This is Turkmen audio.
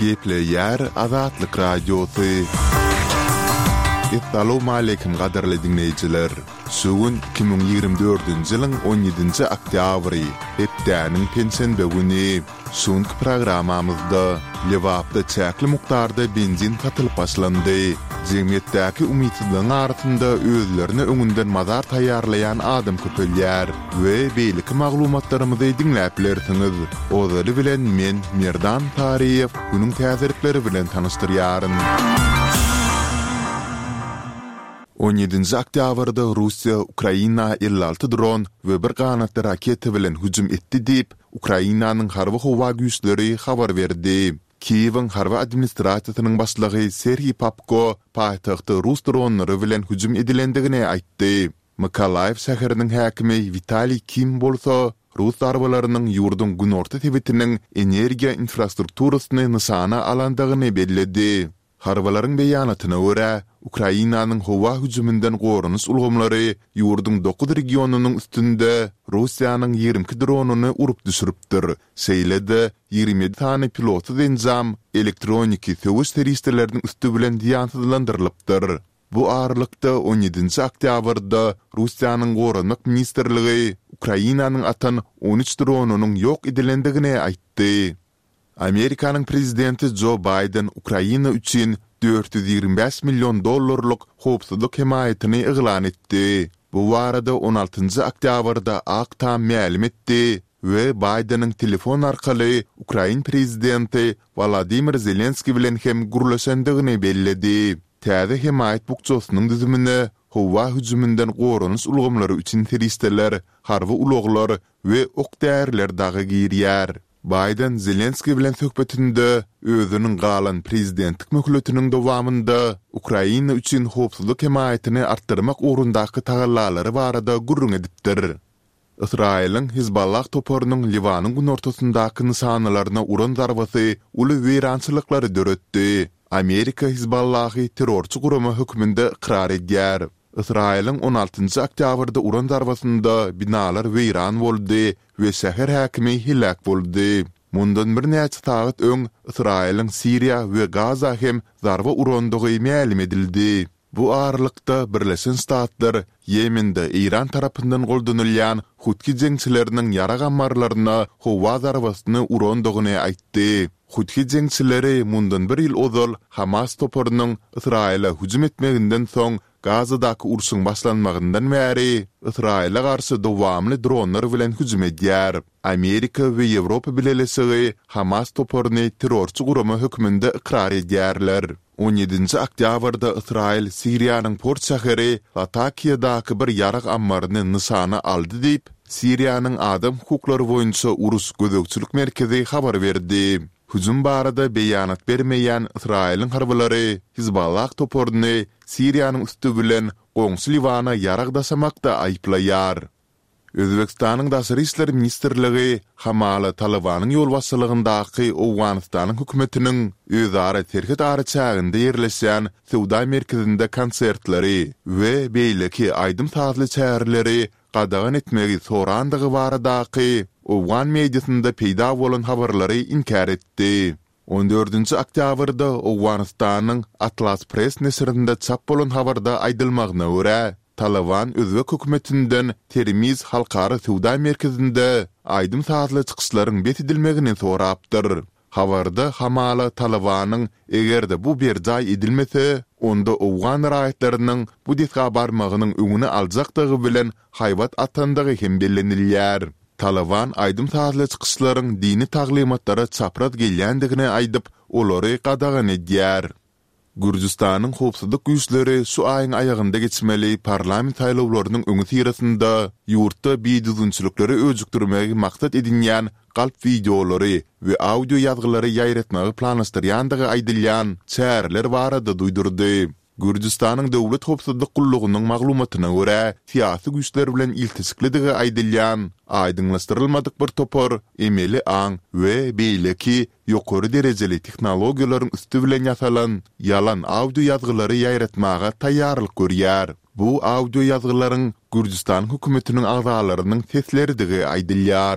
Gepleýär Azatlyk Radiosy. Essalawmaleýkim gadyrly diňleýjiler! Şu gün 2024-nji ýylyň on ýedinji oktýabry, hepdäniň penşenbe güni. Şu günki programmamyzda Lebapda çäkli mukdarda benzin satylyp başlandy. Jemgyýetdäki umytsyzlygyň arasynda özlerine öňünden mazar taýýarlaýan adam köpelýär we beýleki maglumatlarymyzy diňläp bilersiňiz. Ozaly bilen men, Merdan Saryýew, günüň täzelikleri bilen tanyşdyrýaryn. On ýedinji oktýabrda Russiýa Ukraina 56 dron we bir ganatly raketa bilen hüjüm etdi diýip, Ukrainanyň Harby-howa güýçleri habar berdi. Kiýewiň harby administrasiýasynyň başlygy Serhiý Popko paýtagta rus dronlary bilen hüjüm edilendigini aýtdy. Mykolaýiw şäheriniň häkimi Witaliý Kim bolsa, rus zarbalarynyň ýurduň günorta sebitiniň energiýa infrastrukturasyny nyşana alandygyny belledi. Harbylaryň beýanatyna görä, Ukrainanyň howa hüjüminden goranyş ulgamlary ýurduň dokuz regionynyň üstünde Russiýanyň 22 dronyny urup düşüripdir, şeýle-de 27 sany pilotsyz enjam elektroniki söweş serişdeleriniň üsti bilen zyýansyzlandyrylypdyr. Bu aralykda, on ýedinji oktýabrda Russiýanyň Goranmak ministrligi Ukrainanyň atan on üç dronynyň ýok edilendigini aýtdy. Amerikanyň prezidenti Jo Baýden Ukraina üçin 425 million dollarlyk howpsuzlyk hemaýatyny yglan etdi. Bu barada on altynjy oktýabrda Ak Tam mälim etdi we Baýdeniň telefon arkaly ukrain prezidenti Wolodymyr Zelenskiý bilen hem gürleşendigini belledi. Täze hemaýat bukjasynyň düzümine howa hüjüminden goranyş ulgamlary üçin serişdeler, harby ulaglar we ok-däriler dagy girýär. Baýden Zelenskiý bilen söhbetinde özüniň galan prezidentlik möhletiniň dowamynda Ukraina üçin howpsuzlyk hemaýatyny artdyrmak ugrundaky tagallalary barada gürrüň edipdir. Ysraýylyň Hizballah toparynyň Liwanyň günortasyndaky nyşanalaryna uran zarbasy uly weýrançylyklary döretdi. Amerika Hizballahy terrorçy gurama hökmünde ykrar edýär. Ysraýylyň on altynjy oktýabrda uran zarbasynda binalar weýran boldy we şäher häkimi heläk boldy. Mundan birnäçe sagat öň Ysraýylyň Siriýa we Gaza hem zarba urandygy mälim edildi. Bu aralykda, Birleşen Ştatlar Ýemende Eýran tarapyndan goldanylýan Hutgi jeňçileriniň ýarag ammarlaryna howa zarbasyny urandygyny aýtdy. Hutgi jeňçileri mundan bir ýyl ozal Hamas toparynyň Ysraýyla hüjüm etmeginden soň Gazadaky urşuň başlanmagyndan bäri Ysraýyla garşy dowamly dronlar bilen hüjüm edýär. Amerika we Ýewropa Bileleşigi Hamas toparyny terrorçy gurama hökmünde ykrar edýärler. On ýedinji oktýabrda Ysraýyl Siriýanyň port şäheri Latakiýadaky bir ýarag ammaryny nyşana aldy diýip, Siriýanyň adam hukuklary boýunça uruş gözegçilik merkezi habar berdi. Hüjüm barada beýanat bermeýän Ysraýylyň harbylary Hizballah toparyny Siriýanyň üsti bilen goňşy Liwana ýarag daşamakda aýyplaýar. Özbegistanyň Daşary işler ministrligi hamala Talybanyň ýolbaşçylygyndaky Owganystanyň hökümetiniň özara serhet araçäginde ýerleşýän söwda merkezinde konsertleri we beýleki aýdym-sazly çäreleri gadagan etmegi sorandygy baradaky owgan mediasynda peýda bolan habarlary inkär etdi. On dördünji oktýabrda Owganystanyň Atlas Press neşirinde çap bolan habarda aýdylmagyna görä, Talyban özbek hökümetinden Termiz halkara söwda merkezinde aýdym-sazly çykyşlaryň bes edilmegini sorapdyr. Habarda hamala Talybanyň eger-de bu berjaý edilmese, onda owgan raýatlarynyň bu desga barmagynyň öňüni aljakdygy bilen haýbat atandygy hem bellenilýär. Talyban aýdym-sazly çykyşlaryň dini taglymatlara çapraz gelýändigini aýdyp, olary gadagan edýär. Gürjüstanyň howpsuzlyk güýçleri şu aýyň aýagynda geçmeli parlament saýlawlarynyň öňüsyrasynda ýurtda bidüzgünçilikleri öjükdirmegi maksat edinýän galp wideolary we audio ýazgylary ýaýratmagy planlaşdyrýandygy aýdylýan çäreler barada duýdurdy. Gürjüstanyň Döwlet howpsuzlyk gullugynyň maglumatyna görä, syýasy güýçler bilen ilteşiklidigi aýdylýan aýdyňlaşdyrylmadyk bir topar emeli aň we beýleki ýokary derejeli tehnologiýalaryň üsti bilen ýasalan ýalan audio ýazgylary ýaýratmaga taýýarlyk görýär. Bu audio ýazgylaryň Gürjüstanyň hökümetiniň agzalarynyň sesleridigi aýdylýar.